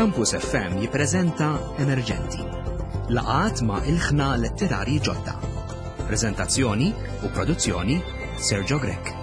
Campus FM jippreżenta Emerġenti. Laqat ma' ilħna letterarji ġodda. Preżentazzjoni u produzzjoni Sergio Grech.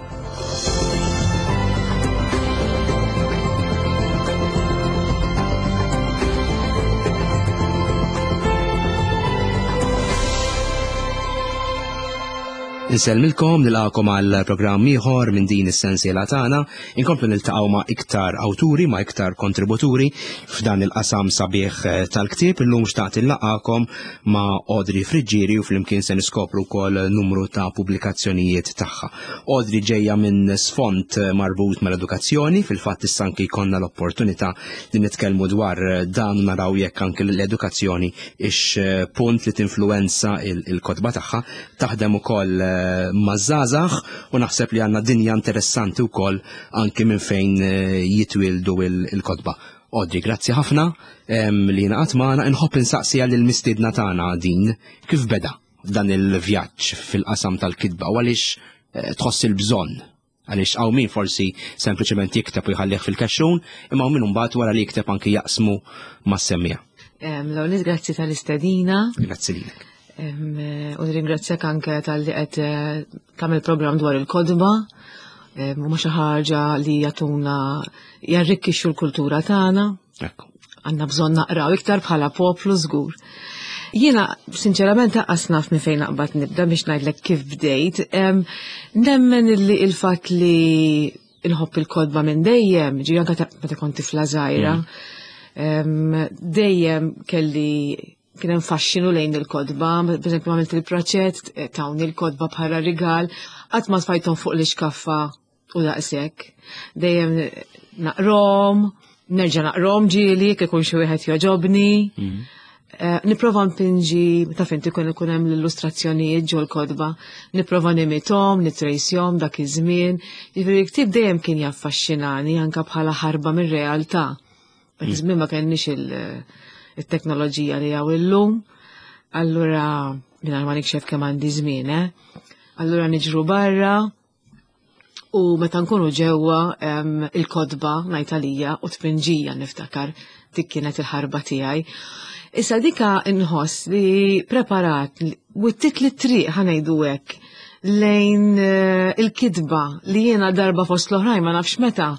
Insellmilkom nilqakom għal programm ieħor minn din is-sensiela tagħna. Inkomplu niltaqgħu ma' iktar awturi, ma' iktar kontributuri f'dan il-qasam sabiħ eh, tal-ktieb. Illum xtaqt illaqakom ma' Audrey Friggieri u flimkien se niskopru wkoll numru ta' pubblikazzjonijiet tagħha. Audrey ġejja minn sfond marbut mal-edukazzjoni, fil-fatt issa anki jkollna l-opportunità li nitkellmu dwar dan u naraw jekk anki l-edukazzjoni ix eh, punt li tinfluwenza il-kotba tagħha taħdem ukoll eh, maż-żgħażagħ u naħseb li għandna dinja interessanti wkoll anki minn fejn eh, jitwildu il-kotba. Audrey, grazzi ħafna li naqat magħna inħobb insaqsija lil mistiedna tagħna din kif beda dan il-vjaġġ fil-qasam tal-kitba u għaliex eh, tħoss il-bżonn Għaliex hawn min forsi sempliċement jikteb u jħallih fil-kexxun, imma hawn min imbagħad wara li jikteb anki jaqsmu mas-semmiegħa. L-ewwel grazzi tal-istedina. Grazzi lilek. Eh, u nirringrazzjak anke tal-li qed eh, tagħmel programm dwar il-kodba. Huma xi ħaġa li jagħtuna jarrikkixxu l-kultura tagħna. Ekku. Għandna bżonn naqraw iktar bħala poplu żgur. Jiena sinċerament lanqas naf minn fejn naqbad nibda biex ngħidlek kif bdejt. Nemmen illi il-fatt li nħobb il-kodba minn dejjem, ġi anke meta kont tifla żgħira, mm. dejjem kelli kien hemm faxxinu lejn il-kodba, pereżempju għamilt il-proċett, eh, tawni l-kodba bħala rigal, qatt ma tfajthom fuq l-iskaffa u daqshekk. Dejjem naqrom, nerġa' naqrom ġieli jekk ikun xi wieħed joġobni. Mhm. Eh, nipprova npinġi, taf inti kun ikun hemm l-illustrazzjonijiet ġol kodba, nipprova nimitom, nitrejsjom dak iż-żmien. Jiġifieri ktieb dejjem kien jaffaxxinani anke bħala ħarba mir-realtà. Dak mhm. iż-żmien ma kenniex il-teknoloġija li hawn illum. Allura mingħajr ma nikxef kemm għandi żmien, eh? Allura niġru barra, U meta nkunu ġewwa il-kotba ngħid għalija u tpinġija niftakar dik kienet il-ħarba tiegħi. Issa dika nħoss li preparat wittit li triq ħanejdu hekk lejn eh, il-kitba li jiena darba fost l-oħrajn ma nafx meta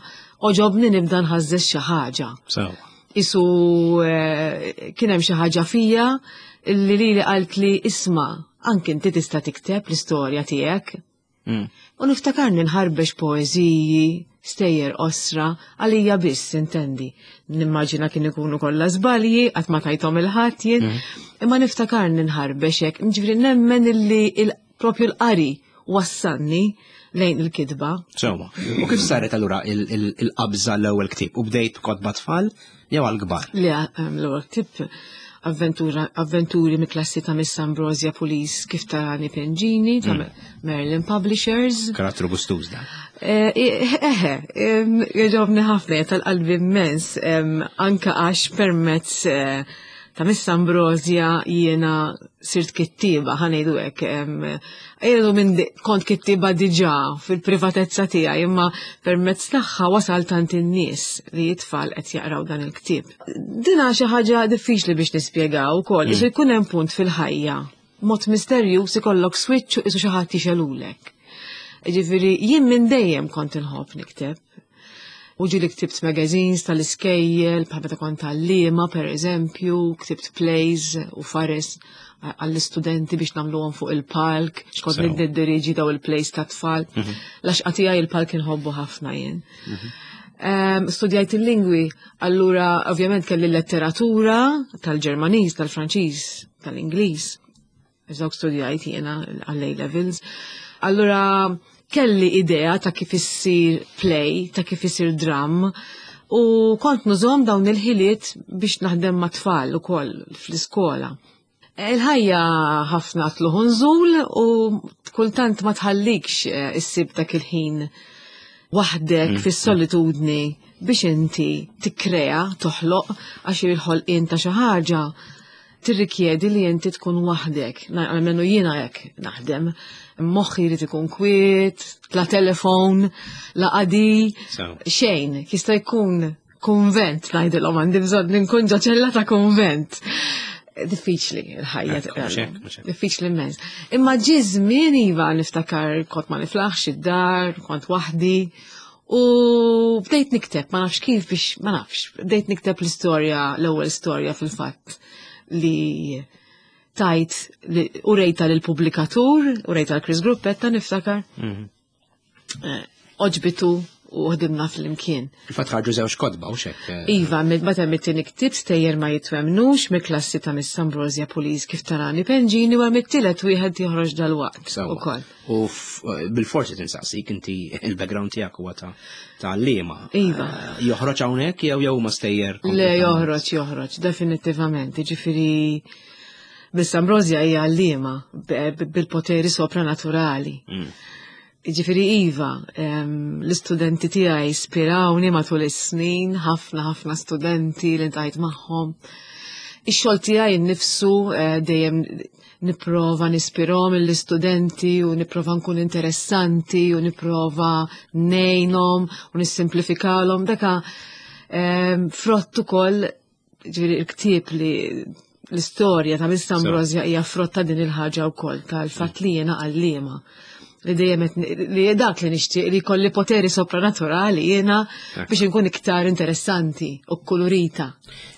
oġobni nibda nħażżeż xi ħaġa. Isu eh, kien hemm xi ħaġa fija li li qalt li isma' anke inti tista' tikteb l-istorja tiegħek. Mm. U niftakarni nħarbex poeżiji, stejjer qosra, għalija biss intendi. Nimmaġina kien ikunu kollha żbalji, qatt ma tajthom il-ħadd jien, mm. imma niftakarni nħarbex hekk, ġifieri nemmen illi propju l-qari wassalni lejn il-kitba. Sewwa. U kif saret allura il-qabża l-ewwel ktieb? U bdejt kotba tfal jew għall-kbar? Le, ehm, l-ewwel ktieb avventura, avventuri mill-klassi ta' Miss Ambrosia Police kif tarani Pengini ta' mm. Merlin Publishers. Karattru gustuż dan. Eh, eħe, eh, jogħġobni ħafna tal-qalbi immens, anka għax permezz eh, ta' Miss Ambrosia jiena sirt kittiba, ħanejdu hekk. Jenu minn kont kittiba diġà fil-privatezza tiegħi, imma permezz tagħha wasal tant in-nies li jitfal qed jaqraw dan il-ktieb. Dina xi ħaġa diffiċli biex nispjegaw ukoll, mm. isu jkun hemm punt fil-ħajja, mod misterjuż ikollok switch u isu xi ħadd jixelulek. Ġifieri jien minn dejjem kont inħobb nikteb. U ġieli ktibt magazines tal-iskejjel, bħal meta kont għalliema per eżempju, ktibt plays u fares għall-istudenti biex nagħmluhom fuq il-palk, xkont niddirieġi daw il-plays ta' tfal. Mhm. Laxqa tiegħi il-palk inħobbu ħafna jien. Mhm. Ehm, studjajt il-lingwi, allura ovvjament kelli letteratura tal-Ġermaniż, tal-Franċiż, tal-Ingliż. Dawk studjajt jiena għall-A levels. Allura kelli idea ta' kif issir play, ta' kif isir dram, u kont nużom dawn il-ħiliet biex naħdem ma' tfal ukoll fl-iskola. Il-ħajja ħafna tluħ nżul u kultant ma tħallikx eh, issib dak il-ħin waħdek mm. fis-solitudni biex inti tikkrea, toħloq għax il-ħolqien ta' xi ħaġa tirrikjedi li inti tkun waħdek. Almenu jiena hekk naħdem. Moħħi jrid ikun kwiet, la telefon, la qadi, xejn. Jista' jkun. Kunvent ngħidilhom għandi bżonn nkun ġo ċella ta' kunvent. Diffiċli l-ħajja. Diffiċli immens. Imma ġie żmien iva niftakar kont ma niflaħx id-dar, kont waħdi. U bdejt nikteb, ma nafx kif biex, ma nafx, bdejt nikteb l-istorja, l-ewwel storja fil-fatt li tajt u rejta l-pubblikatur, u rejta l-Chris Gruppetta niftakar. Mhm. Eh, oġbitu u ħdimna fl-imkien. Il-fatt ħarġu żewġ kotba u xek. Eh. Iva, meta hemm it-tieni ktieb stejjer ma jitwemnux mill-klassi ta' Miss Ambrosia Pulis kif tarani Penġini u hemm it-tielet wieħed joħroġ dal-waqt ukoll. U eh, bil-forsi tinsaqsik inti il-background tiegħek huwa ta' ta' liema. Iva. Joħroġ hawnhekk jew jew ma stejjer? Le joħroġ, joħroġ, definitivament. Ġifieri Miss Ambrosia hija għalliema bil-poteri sopranaturali. Mm. Ġifieri iva, l-istudenti tiegħi ispirawni matul is-snin, ħafna ħafna studenti li ntajt magħhom. Ix-xogħol tiegħi nnifsu eh, dejjem nipprova nispirhom l-istudenti u nipprova nkun interessanti u nipprova ngħinhom u nissimplifikalhom daka frott ukoll ġifieri il-ktieb li l-istorja ta' Miss Ambrosja hija frott ta' din il-ħaġa wkoll tal-fatt li jiena għalliema li dejjem li dak li nixtieq li jkolli poteri sopranaturali jiena biex inkun iktar interessanti u kolorita.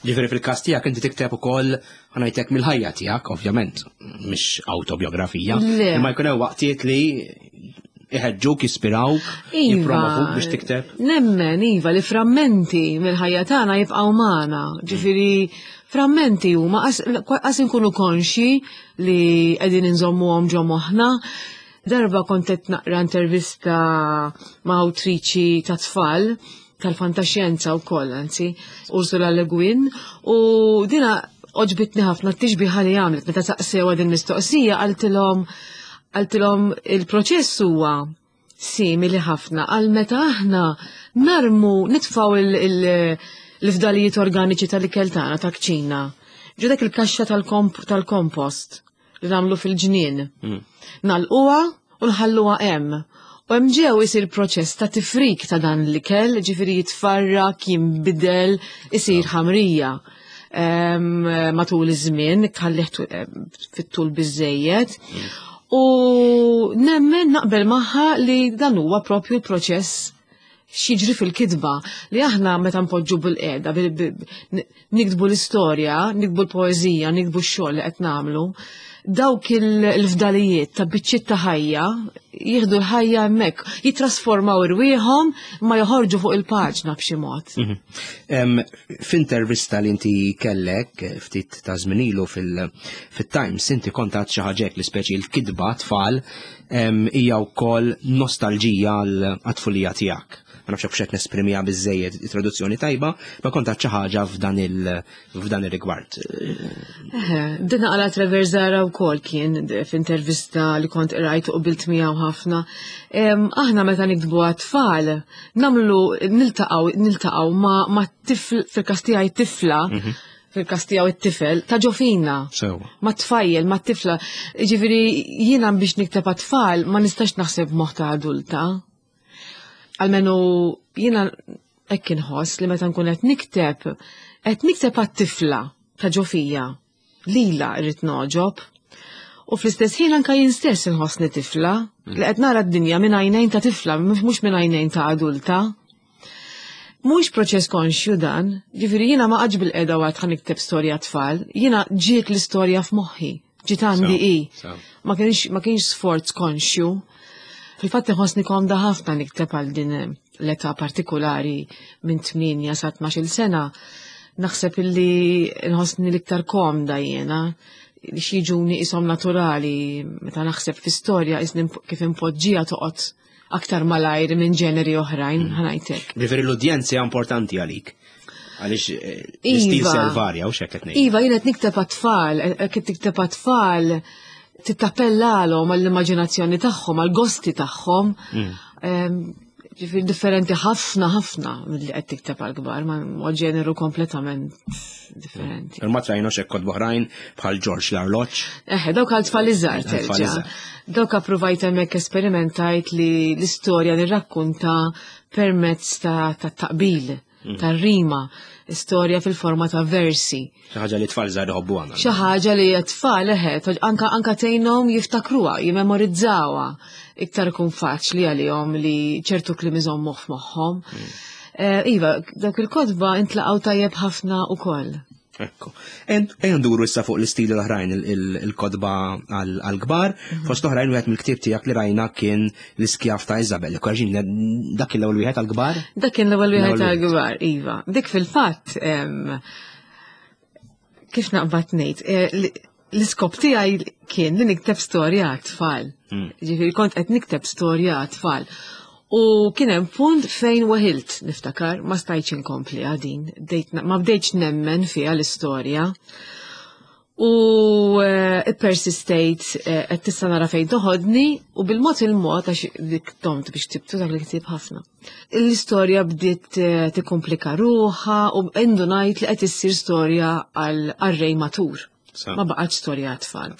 Ġifieri fil-każ tiegħek inti tikteb ukoll ħanajtek mill-ħajja tiegħek, ovvjament, mhix autobiografija. Imma jkun hemm waqtiet li iħeġġuk, jispirawk, iva, jippromovuk biex tikteb. Nemmen, iva, li frammenti mill-ħajja tagħna jibqgħu magħna. Ġifieri frammenti huma qas inkunu konxi li qegħdin inżommuhom ġo moħħna. Darba kont qed naqra intervista ma' awtriċi ta' tfal tal-fantaxjenza wkoll, anzi, Ursula Le Guin, u dina oġbitni ħafna t-tixbiħa li għamlet meta saqsewa din mistoqsija qaltilhom qaltilhom il-proċess huwa simili ħafna għal meta aħna narmu nitfaw l-fdalijiet organiċi tal-ikel tagħna ta' kċina. Ġo dak il-kaxxa tal-kompost li nagħmlu fil-ġnien. Mm. Nalquha u nħalluha hemm. U hemm ġew isir proċess ta' tifrik ta' dan l-ikel, ġifieri jitfarrak, jinbidel, isir ħamrija. Matul iż-żmien, tħallih fit-tul biżejjed. Mm. U nemmen naqbel magħha li dan huwa propju l-proċess x'jiġri fil-kitba li aħna meta npoġġu bil-qiegħda niktbu l-istorja, niktbu l-poeżija, niktbu x-xogħol li qed nagħmlu, dawk il-fdalijiet ta' biċċiet ta' ħajja jieħdu l-ħajja hemmhekk, jittrasformaw irwieħhom ma joħorġu fuq il-paġna b'xi mod. Mhm. F'intervista li inti kellek eh, ftit ta' żmien ilu fil-Times inti kont għad xi ħaġa li speċi l-kitba tfal hija wkoll nostalġija għal-tfulija tiegħek. Ma nafx hekk qed nesprimiha biżejjed traduzzjoni tajba, ma kont xi ħaġa f'dan il f'dan ir-rigward. Din għala Trevor Zara wkoll kien f'intervista li kont qrajt u qbilt miegħu ħafna. Aħna meta niktbu għat-tfal nagħmlu niltaqgħu niltaqgħu ma' tifl fil-każ tiegħi tifla mhm. fil-każ tiegħu it-tifel, ta' ġofina. Sewa. Ma' tfajjel, ma' tifla. Ġifieri jiena biex nikteb għat-tfal ma nistax naħseb moħħ ta' adulta. Almenu jiena hekk inħoss li meta nkun qed nikteb, qed nikteb għat-tifla ta' ġofija. Lila rrid noġob. U fl-istess ħin anka jien stess inħossni tifla li qed nara d-dinja minn għajnejn ta' tifla, mhux minn għajnejn ta' adulta. Mhux proċess konxju dan, ġifieri jiena ma qgħadx bil-qeda waqt ħa nikteb storja tfal, jiena ġiet l-istorja f'moħħi, ġiet għandi hi. Ma kienx ma kienx sforz konxju. Fil-fatt inħossni komda ħafna nikteb għal din l-età partikolari minn 8 sa 12-il sena. Naħseb illi nħossni l-iktar komda jiena li xieġuni isom naturali meta naħseb fi storja kif impoġġija toqgħod aktar malajr minn ġeneri oħrajn, mm. ħanajtek. Ġifieri l-udjenza hija importanti għalik. Għaliex eh, l-istil iva. se varja u xekk qed ngħid. Iva, jien qed nikteb għat-tfal, eh, qed tikteb għat-tfal tittappellalhom għall-immaġinazzjoni tagħhom, għall-gosti tagħhom. Mm. Ġifieri differenti ħafna ħafna milli qed tikteb għall-kbar, ma ġeneru kompletament differenti. Ma trajnu xek kod oħrajn bħal Ġorġ l-arloġġ. Eħe, dawk għal tfal iżgħar terġa'. Dawk approvajt hemmhekk esperimentajt li l-istorja nirrakkunta permezz ta' taqbil. tar-rima, storja fil-forma ta' versi. Xi ħaġa li tfal żgħar iħobbu għandna. Xi ħaġa li t-tfal eħe, anka anka tgħinhom jiftakruha, jimmemorizzawha. Iktar ikun faċli għalihom li ċertu kliem iżommuh f'moħħhom. Eh, iva, dawk il-kotba intlaqgħu tajjeb ħafna ukoll. Ekku. Ejja nduru issa fuq l-istili l-oħrajn il-kotba għal-kbar. Fost oħrajn wieħed mill-ktieb tiegħek li rajna kien l-iskjaf ta' Isabel. Korġin, dak kien l-ewwel wieħed għal-kbar? Dak kien l-ewwel wieħed għal-kbar, iva. Dik fil-fatt kif naqbad ngħid, eh, l-iskop tiegħi kien li nikteb storja għat-tfal. Ġifieri kont qed nikteb storja għat-tfal. U kien hemm punt fejn weħilt niftakar, ma stajtx inkompli għadin, ma bdejtx nemmen fiha l-istorja. U eh, persistejt eh, qed tista' nara fejn toħodni u bil-mod il-mod għax dik tomt biex tibtu dak li ktib ħafna. L-istorja bdiet eh, tikkomplika ruħha u indunajt li qed issir storja għal rej matur. Ma baqgħetx storja għat-tfal.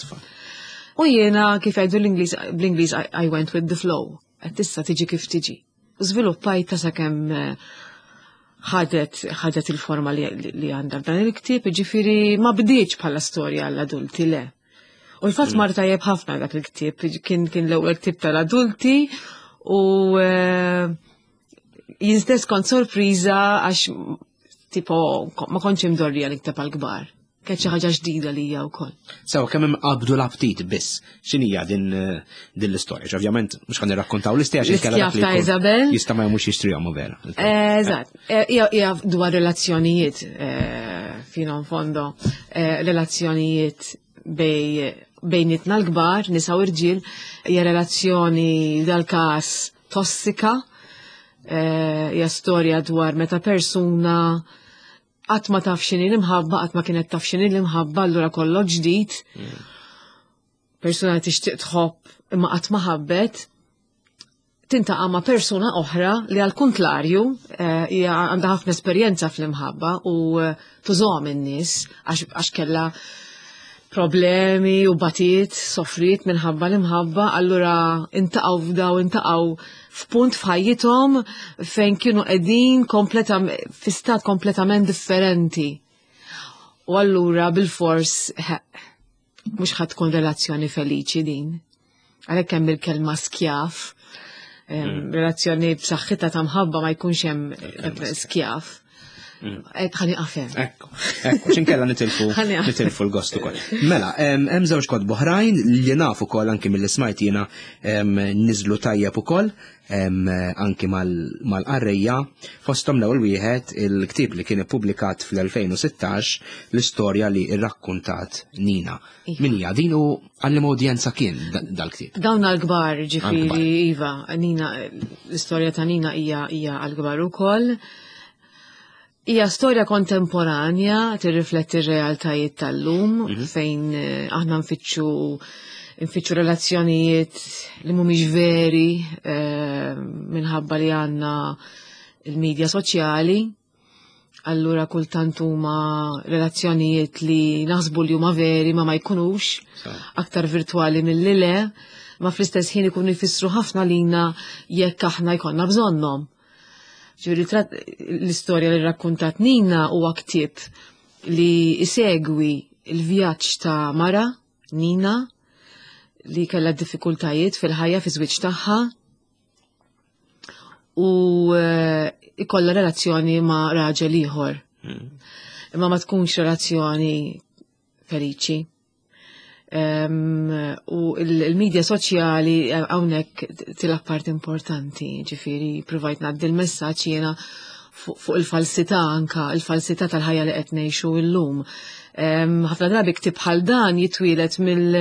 U jiena kif jgħidu l-Ingliż bl-Ingliż I went with the flow. Qed tista' tiġi kif tiġi. U żviluppajta sakemm eh, ħadet ħadet il-forma li, li għandha f'dan il-ktieb, ġifieri ma bdietx bħala storja għall-adulti le. U l-fatt mar tajjeb ħafna dak il-ktieb, kien kien l-ewwel ktieb tal-adulti u eh, jien stess kont sorpriża għax tipo ma kontx imdorrija nikteb għall-kbar. Kienet xi ħaġa ġdida lija wkoll. Sew kemm hemm qabdu l-aptit biss. X'inhija din eh, din l-istorja? Ovvjament mhux ħa nirrakkontaw l-istorja xi kellha ta' Isabel. Jista' ma jmux jixtrihom vera. Eh, eżatt. Eh, hija dwar relazzjonijiet fino in fondo, relazzjonijiet bej bejnietna l-kbar, nisa u rġiel, hija relazzjoni dal-każ tossika, hija storja dwar meta persuna qatt ma taf x'inhi l-imħabba, qatt ma kienet taf x'inhi l-imħabba, allura kollox ġdid. Persuna li tixtieq tħobb imma qatt ma ħabbet, tintaqa' ma' persuna oħra li għal kuntlarju eh, hija għandha ħafna esperjenza fl-imħabba u eh, tużhom in-nies għax kellha problemi u batiet, soffriet minħabba l-imħabba, allura intaqgħu f'daw intaqgħu f'punt f'ħajjithom fejn kienu qegħdin fi stat kompletament differenti. U allura bil-fors mhux ħadd tkun relazzjoni feliċi din. Għalhekk hemm il-kelma skjaf, relazzjoni b'saħħitha ta' mħabba ma jkunx hemm skjaf. Ħani qafem. Ekku, ekku, xinkella nitilfu nitilfu l-gost ukoll. Mela, hemm żewġ kotba oħrajn li naf ukoll anki mill smajt jiena niżlu tajjeb ukoll anki mal-qarrejja fosthom l-ewwel wieħed il-ktieb li kien ippubblikat fl-2016 l-istorja li rrakkuntat Nina. Iva. Min hija din u għal udjenza kien dal-ktieb? Dawn għal-kbar, ġifieri iva, Nina l-istorja ta' Nina hija hija għal-kbar ukoll. Hija storja kontemporanja tirrifletti r-realtajiet tal-lum fejn eh, aħna nfittxu nfittxu relazzjonijiet li mhumiex veri eh, minħabba li għandna il-medja soċjali. Allura kultant huma relazzjonijiet li naħsbu li huma veri ma ma jkunux aktar virtwali milli le, ma fl-istess ħin ikunu jfissru ħafna lina jekk aħna jkollna bżonnhom. Ġifieri l-istorja li rrakkuntat Nina huwa ktieb li isegwi il-vjaġġ ta' mara, Nina, li kellha diffikultajiet fil-ħajja fi żwieġ tagħha u eh, ikollha relazzjoni ma' raġel ieħor. Imma ma tkunx relazzjoni feliċi. U il-medja soċjali eh, hawnhekk tilgħab part importanti, ġifieri provajt ngħaddi l-messaġġ jiena fuq il-falsità anka, il-falsità tal-ħajja li qed ngħixu llum. Ħafna drabi ktieb bħal dan jitwielet mill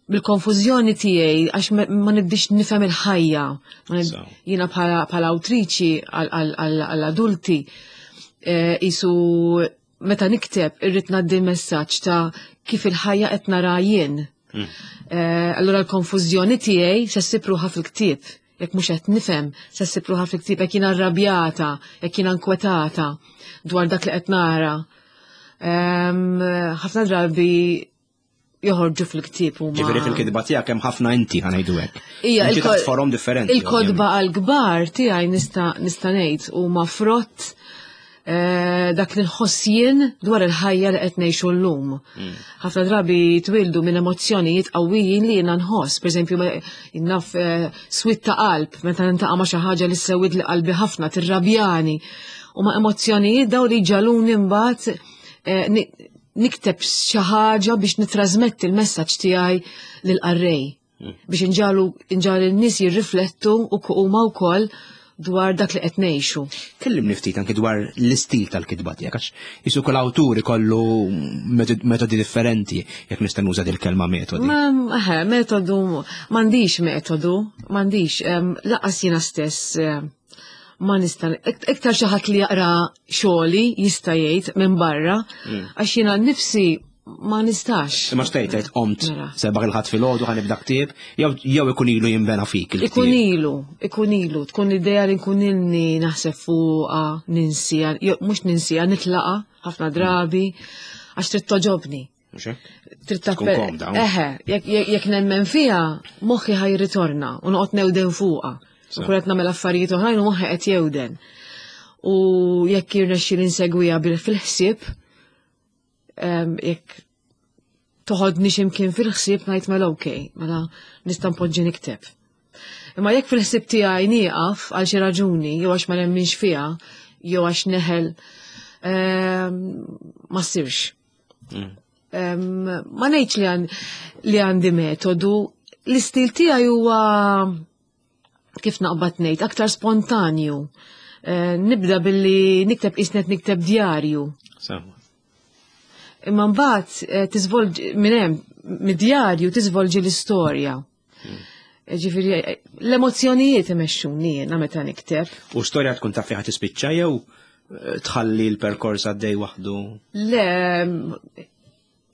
bil-konfużjoni tiegħi għax ma nibdix nifhem il-ħajja. Jiena bħala awtriċi għall-adulti eh, isu meta nikteb irrid ngħaddi messaġġ ta' kif il-ħajja qed nara jien. Eh, allura l-konfużjoni tiegħi se ssib ruħha fil-ktieb. Jekk mhux qed nifhem, se ssib ruħha fil-ktieb jekk jiena arrabjata, jekk jiena nkwetata dwar dak li qed nara. Ehm, ħafna drabi joħorġu fil-ktieb huma. Ġifieri fil-kitba tiegħek hemm ħafna inti ħanejdu hekk. Ija, Inti taħt forom differenti. Il-kodba għal-kbar tiegħi nista' nista' ngħid huma frott Dak li nħoss jien dwar il-ħajja li qed ngħixu llum. Ħafna drabi twildu minn emozzjonijiet qawwijin li jiena nħoss, pereżempju naf eh, swit ta' qalb meta nintaqa' ma' xi ħaġa li sewwid li qalbi ħafna tirrabjani. U ma' emozzjonijiet daw li ġaluni mbagħad eh, nikteb xi ħaġa biex nitrasmetti l-messaġġ tiegħi lill-qarrej. Biex inġalu inġalu n-nies jirriflettu u huma wkoll dwar dak li qed ngħixu. Kellimni ftit anki dwar l-istil tal-kitba tiegħek għax isu kull awtur ikollu metodi differenti jekk nista' nuża dil-kelma metodi. Ma metodu m'għandix metodu, m'għandix laqas jiena stess ma nista' iktar xi ħadd li jaqra xogħli jista' jgħid minn barra għax jiena nnifsi ma nistax. Imma xtejt tgħid qomt mela. sebaħ il-ħadd filgħodu ħa nibda ktieb, jew ikun ilu jinbena fik il Ikun ilu, ikun ilu, tkun idea li nkun ilni naħseb fuqha, ninsija, jew mhux ninsija, nitlaqa ħafna drabi, għax trid toġobni. Trid Tkun komda. Eħe, jekk nemmen fiha, moħħi ħaj ritorna u noqgħod newden fuqha. U kull qed nagħmel affarijiet oħrajn u moħħi qed jewden. U jekk jirnexxi insegwiha fil-ħsieb, jekk toħodni x'imkien fil-ħsieb ngħid mela okej, mela nista' npoġġi nikteb. Imma jekk fil-ħsieb tiegħi nieqaf għal xi raġuni, jew għax ma nemminx fiha, jew għax neħel, ma ssirx. Ma ngħidx li għandi metodu, l-istil tiegħi huwa kif naqbad ngħid, aktar spontanju. Eh, nibda billi nikteb isnet nikteb djarju. Imma mbagħad eh, tiżvolġi minn hemm mid-djarju tiżvolġi l-istorja. Eh, ġifieri l-emozzjonijiet imexxuni jiena meta nikteb. U storja tkun taf fejn tispiċċa jew tħalli l-perkors għaddej waħdu? Le,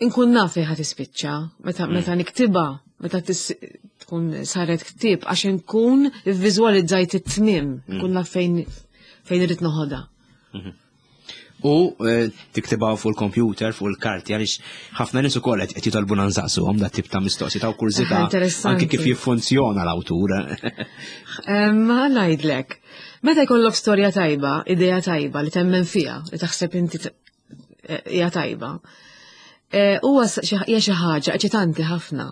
inkun naf fejn ħa tispiċċa, meta mm. meta niktiba, meta tkun saret ktieb għax inkun ivviżwalizzajt it-tmiem, mm. nkun naf fejn fejn irid noħodha. Mhm. U eh, tiktiba fuq il-computer, fuq il-karti, għaliex ħafna nies ukoll qed jitolbuna nsaqsuhom dat tip ta' mistoqsi ta' kurżità anke kif jiffunzjona l-awtur. Ma ngħidlek, meta jkollok storja tajba, idea tajba li temmen fiha, li taħseb inti eh, hija tajba. Eh, huwa hija xi ħaġa eċitanti ħafna.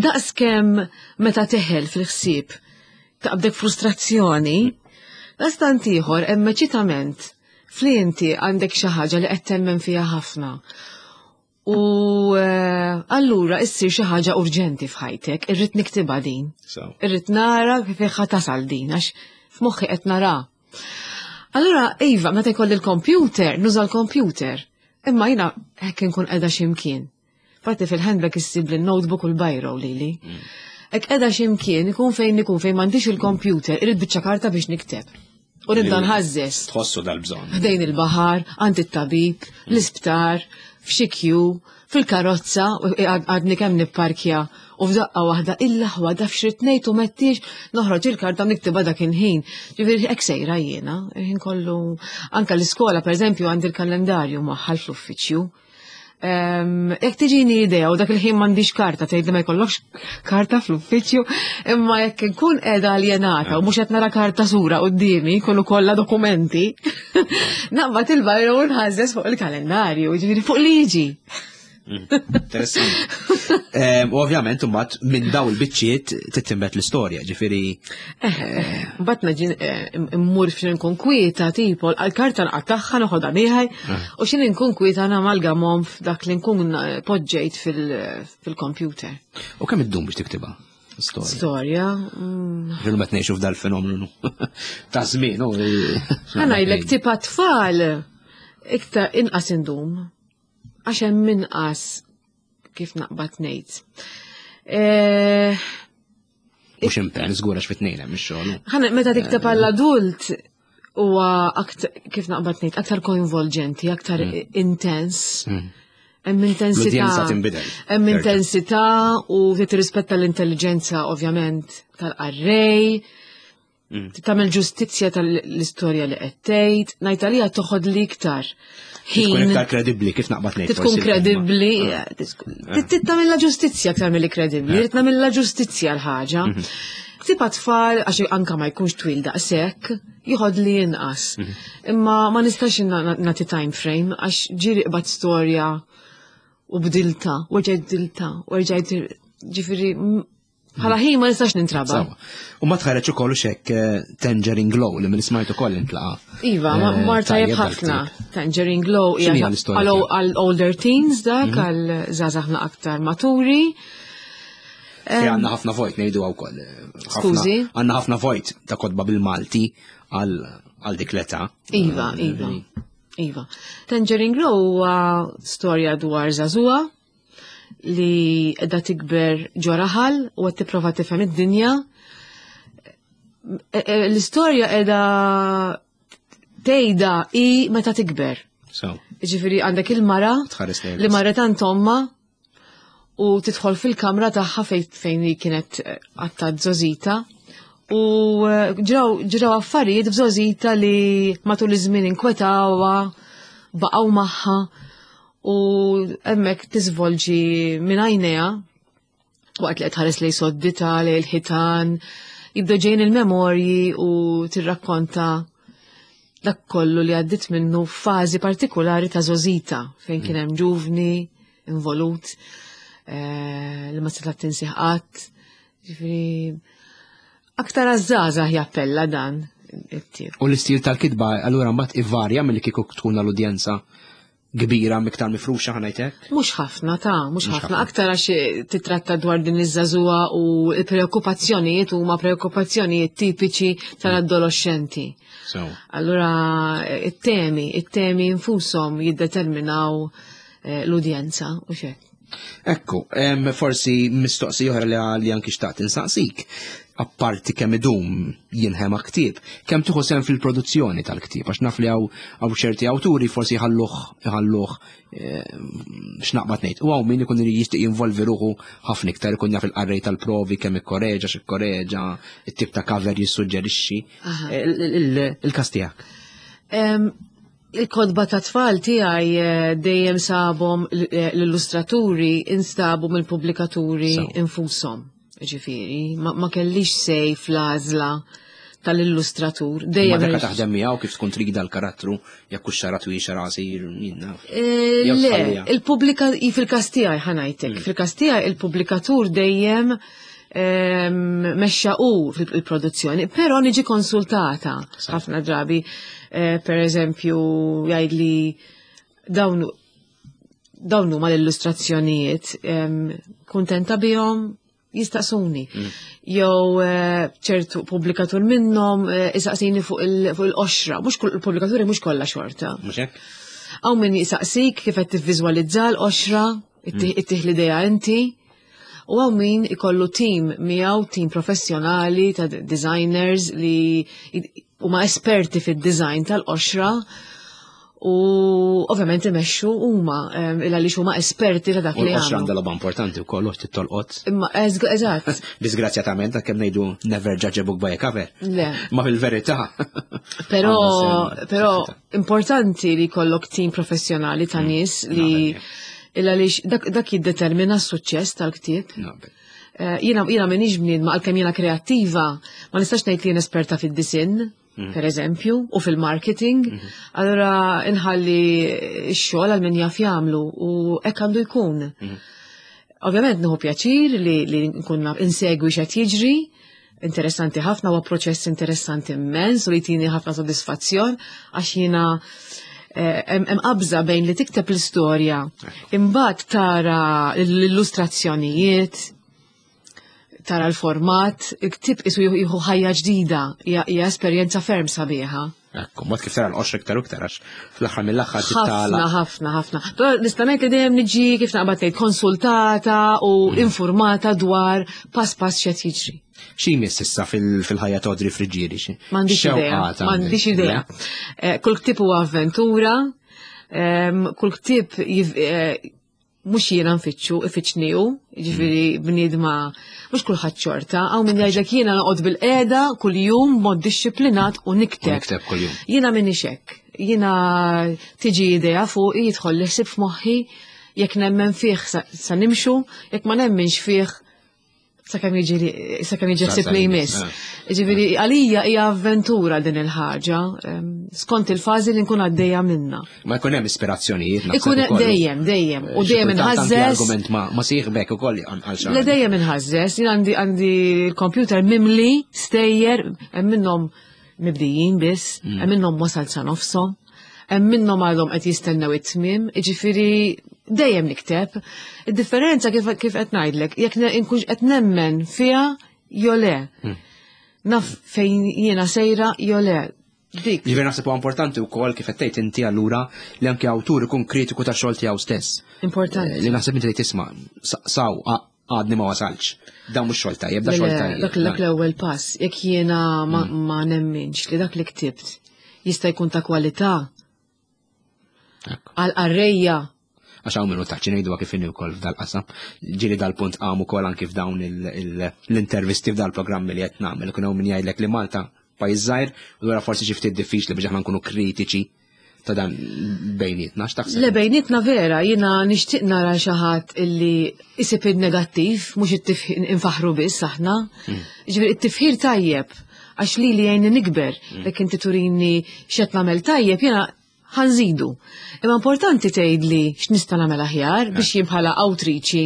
Daqs kemm meta teħel fil-ħsieb taqbdek frustrazzjoni, daqstant ieħor hemm eċitament fli inti għandek xi ħaġa li qed temmen fiha ħafna. U eh, allura issir xi ħaġa urġenti f'ħajtek, irrid niktibha din. Irrid nara kif tasal din għax f'moħħi qed nara. Allura, iva, meta jkolli l-computer, nuża l-computer. Imma jina hekk inkun qiegħda x'imkien. Fatti fil-handbag issib l-notebook u l-biro lili. Hekk qiegħda x'imkien, ikun fejn ikun fejn m'għandix il-computer, irid biċċa karta biex nikteb. U nibda nħażżeż. Tħossu dal-bżonn. Ħdejn il-baħar, għand it-tabib, l-isptar, f'xi kju, fil-karozza, għadni kemm nipparkja u f'daqqa waħda il-laħwa daf xrid ngħid u mettiex noħroġ il-karta niktibha dak il-ħin. Ġifieri hekk sejra jiena, il-ħin kollu anke l-iskola pereżempju għandi l-kalendarju maħħal fl-uffiċċju. Jekk tiġini idea u dak il-ħin m'għandix karta tgħid li ma jkollokx karta fl-uffiċċju, imma jekk inkun qiegħda aljenata u mhux qed nara karta sura quddiemi, kollu kollha dokumenti, naqbad il-bajra u nħażżeż fuq il-kalendarju, ġifieri fuq liġi. Interessanti. U ovvjament imbagħad minn daw il-biċċiet tittimbet l-istorja, ġifieri. Eh, eh, mbagħad naġi eh, immur f'xi nkun kwieta tipo l-karta nqattagħha noħodha miegħi u xi nkun kwieta namalgamhom f'dak li nkun poġġejt fil-computer. U kemm iddum biex tiktibha? Storja. Storja. Ġilu qed ngħixu f'dal-fenomenu ta' żmien. Ħa ngħidlek tipa tfal iktar inqas indum għax hemm inqas kif naqbad ngħid. Eh, Mhux impenn żgur għax fit-tnejn hemm ix-xogħol. Ħana meta tikteb għall-adult huwa kif naqbad ngħid aktar koinvolġenti, aktar mm. intens. Mm. Hemm intensità. Hemm intensità u tirrispetta l-intelligenza ovvjament tal-qarrej. Mm. Tagħmel ġustizzja tal-istorja li qed tgħid, ngħid għalija toħod li iktar. Tkun iktar kredibbli kif naqbad ngħid. Tkun kredibbli, ah. eh, tagħmilha ġustizzja aktar milli kredibbli, eh. trid nagħmilha ġustizzja l-ħaġa. Mhm. Ktieb tfal għax anka ma jkunx twil daqshekk, jieħod li inqas. Imma ma nistax nagħti time frame għax ġieli qbadt storja u bdilta, u rġajt bdilta, u rġajt ġifieri bħala ħin ma nistax nintraba. U ma tħareġ ukoll xek eh, Tangerine Glow li minn smajt ukoll intlaqa. Iva, eh, mar tajjeb ħafna. Tangerine Glow hija għal older teens dak mhm. għal żgħażagħ aktar maturi. Għanna ħafna vojt ngħidu wkoll. Eh, Skużi? Għanna ħafna vojt ta' kotba bil-Malti għal dik l-età. Iva, iva. Iva. Tangerine Glow huwa storja dwar żagħżugħa li qiegħda tikber ġo raħal u qed tipprova tifhem id-dinja. E, e, l-istorja qiegħda tgħidha hi meta tikber. So. Ġifieri għandek il-mara li marret għand omma u tidħol fil-kamra tagħha fejn hi kienet eh, għatta żgħożitha u eh, ġraw affarijiet f'żgħożitha li matul iż-żmien inkwetawha, baqgħu magħha u hemmhekk tiżvolġi minn għajnejha waqt li qed tħares lejn soddita, lejn il-ħitan, jibdew ġejjin il-memorji u tirrakkonta dak kollu li għaddit minnu f'fażi partikolari ta' żgħożitha fejn kien hemm ġuvni involut eh, li ma setgħet tinsih qatt. Ġifieri aktar għaż-żgħażagħ jappella dan it-tip. U l-istil tal-kitba allura mbagħad ivarja milli kieku tkun l-udjenza kbira miktar mifruxa ħanajtek? Mhux ħafna ta' mhux ħafna aktar għax eh, titratta dwar din iż-żagħżugħa u l-preokkupazzjonijiet huma preokkupazzjonijiet tipiċi tal-adolescenti. So. Allura eh, it-temi, it-temi infushom jiddeterminaw eh, l-udjenza u xek. Ekku, forsi mistoqsija oħra li li anki xtaqt insaqsik. Apparti kemm idum jinħema ktieb, kemm tieħu sehem fil-produzzjoni tal-ktieb, għax naf li hawn ċerti awturi forsi jħalluh jħalluh x'naqbad ngħid. U hawn min ikun irid jixtieq jinvolvi ruħu ħafna iktar ikun jaf il-qarrej tal-provi kemm ikkoreġa, x'ikkoreġa, it-tip ta' cover jissuġġerixxi. Il-każ tiegħek. Il-kotba ta' tfal tiegħi eh, dejjem sabhom eh, l-illustraturi instabu mill-pubblikaturi infushom. Ġifieri, ma kellix sej fl-għażla tal-illustratur. Dejjem. Ma dak taħdem miegħu kif tkun trida l-karattru jekk hux xara twil xara qasir jien eh, Le, il-pubblika fil-każ tiegħi ħanajtek, mm. fil-każ tiegħi il-pubblikatur dejjem ehm, mexxa u fil-produzzjoni, però niġi konsultata ħafna drabi. Eh, per eżempju, jgħidli dawn dawn huma l-illustrazzjonijiet ehm, kuntenta bihom jistaqsuni. Mm. Jew eh, ċertu pubblikatur minnhom eh, isaqsini fuq il-qoxra, mhux kull il-pubblikaturi mhux kollha xorta. Mhux hekk? Hawn min jisaqsik kif qed tivviżwalizza l-qoxra, mm. ittih l-idea inti. U hawn min ikollu tim miegħu, tim professjonali ta' designers li huma esperti fid-design tal-qoxra u ovvjament imexxu huma il għaliex huma esperti ta' dak li għamlu. għandha logħba importanti wkoll u tolqot. Imma eżatt. Disgrazzjatament kemm ngħidu never judge a book by a cover. Le. Ma fil-verità. Però però importanti li jkollok tim professjonali ta' mm. nies li Il għaliex dak, dak jiddetermina s-suċċess tal-ktieb. Eh, jiena jiena m'iniex bniedma għalkemm jiena kreattiva, ma nistax ngħid li jien esperta fid-disinn, mm. per eżempju, u fil-marketing, mm-hmm. allura inħalli x-xogħol għal min jaf jagħmlu u hekk għandu jkun. Mm-hmm. Ovvjament nieħu pjaċir li, li nkun insegwi x'qed jiġri, interessanti ħafna huwa proċess interessanti immens u li tini ħafna sodisfazzjon għax jiena eh, hemm qabża bejn li tikteb l-istorja imbagħad tara l-illustrazzjonijiet tara l-format, il-ktib isu jieħu ħajja ġdida, hija esperjenza ferm sabiħa. Ekku, mod kif tara l-qoxra iktar u iktar għax fl-aħħar mill-aħħar tittala. Ħafna, ħafna, ħafna. Nista' ngħid li dejjem niġi kif naqbad ngħid konsultata u mm. informata dwar pass pass x'qed jiġri. Xi jmiss issa fil-ħajja ta' Audrey Friggieri? M'għandix idea. M'għandix idea. Eh, kull ktieb huwa avventura, ehm, kull ktieb eh, mhux jiena nfittxu, ifittxni hu, jiġifieri mm. bniedma mhux kulħadd xorta, hawn min jgħidlek jiena noqgħod bil-qiegħda kuljum mod dixxiplinat u nikteb. Nikteb kuljum. Jiena minix hekk. Jiena tiġi idea fuqi jidħol li ħsieb f'moħħi, jekk nemmen fih sa nimxu, jekk ma nemminx fih. Sakemm jiġi sakemm jiġi ħsieb li jmiss. Ġifieri għalija hija avventura din il-ħaġa, skont il-fażi li nkun għaddejja minna. Ma jkun hemm ispirazzjonijiet Ikun dejjem, dejjem, u dejjem inħażżeż. Argument ma sieħbek ukoll għal xi. Le dejjem inħażżeż, jien għandi għandi l-computer mimli stejjer hemm minnhom mibdijin biss, mm. hemm minnhom wasal sa nofshom, hemm minnhom għadhom qed jistennew it-tmiem, jiġifieri dejjem nikteb. Id-differenza kif kif qed ngħidlek, jekk inkunx qed nemmen fiha jew le. Mm. Naf fejn jiena sejra jew le. Dik. Ġifieri naħseb huwa importanti wkoll kif qed tgħid inti allura li anke awtur ikun kritiku tax-xogħol tiegħu stess. Importanti. Eh, li naħseb inti li tisma' saw għadni ma wasalx. Dan mhux xogħol tajjeb, da xogħol tajjeb. Dak dak l-ewwel pass, jekk jiena ma mm. nemminx li dak li ktibt jista' jkun ta' kwalità għal qarrejja. Għax hawn minnu taċċi ngħidu kif inhi wkoll f'dal-qasam. Ġieli dal-punt qam ukoll anki f'dawn l-intervisti f'dal-programmi li qed nagħmel. Kien hawn min jgħidlek li Malta pajjiż żgħir u allura forsi xi ftit diffiċli biex aħna nkunu kritiċi ta' dan bejnietna, x'taħseb? Le bejnietna vera, jiena nixtieq nara xi ħadd illi isib il-negattiv, mhux it-tifħir infaħru biss aħna. Mm. Ġifieri it-tifħir tajjeb għax li li jgħinni nikber, mm. jekk inti turini x'qed nagħmel tajjeb, jiena ħanżidu. Imma importanti tgħidli x'nista' nagħmel aħjar biex eh. jien bħala awtriċi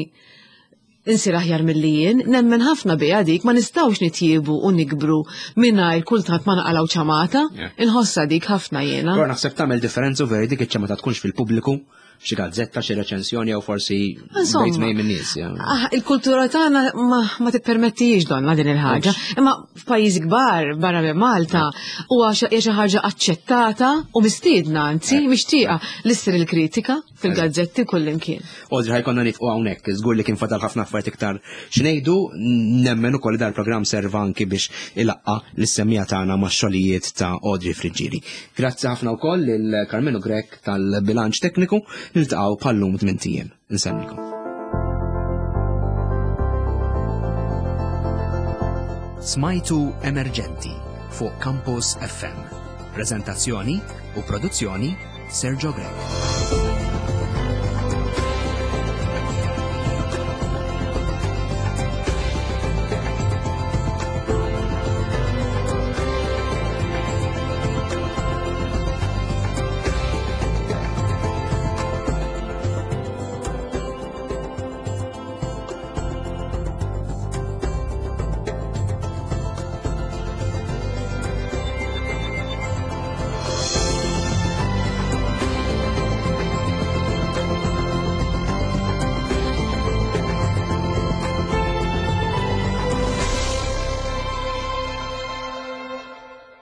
insir aħjar milli jien, nemmen ħafna biha dik ma nistgħux nitjiebu u nikbru mingħajr kultant ma naqalgħu ċamata, inħossha dik ħafna jiena. Però naħseb tagħmel differenza u veri dik iċ-ċamata tkunx fil-pubbliku xi gazzetta, xi reċensjoni jew forsi bejt mejn minn nies. Ah, il-kultura tagħna ma, ma tippermettijiex donna din il-ħaġa. Imma f'pajjiżi kbar barra minn Malta huwa xi ħaġa aċċettata u mistiedna anzi mixtieqa li ssir il-kritika fil-gazzetti kullimkien. Audrey ħajkonna nifqu hawnhekk, żgur li kien fadal ħafna affarijiet iktar x'ngħidu, nemmen ukoll li dal-programm serva anki biex ilaqqa lis-semmiegħa tagħna max-xogħlijiet ta' Audrey Friggieri. Grazzi ħafna wkoll lil Karmenu Grech tal-bilanċ tekniku, niltaqgħu bħal-lum tmint ijiem. Insellmilkom. Smajtu Emerġenti fuq Campus FM. Prezentazzjoni u produzzjoni Sergio Grech.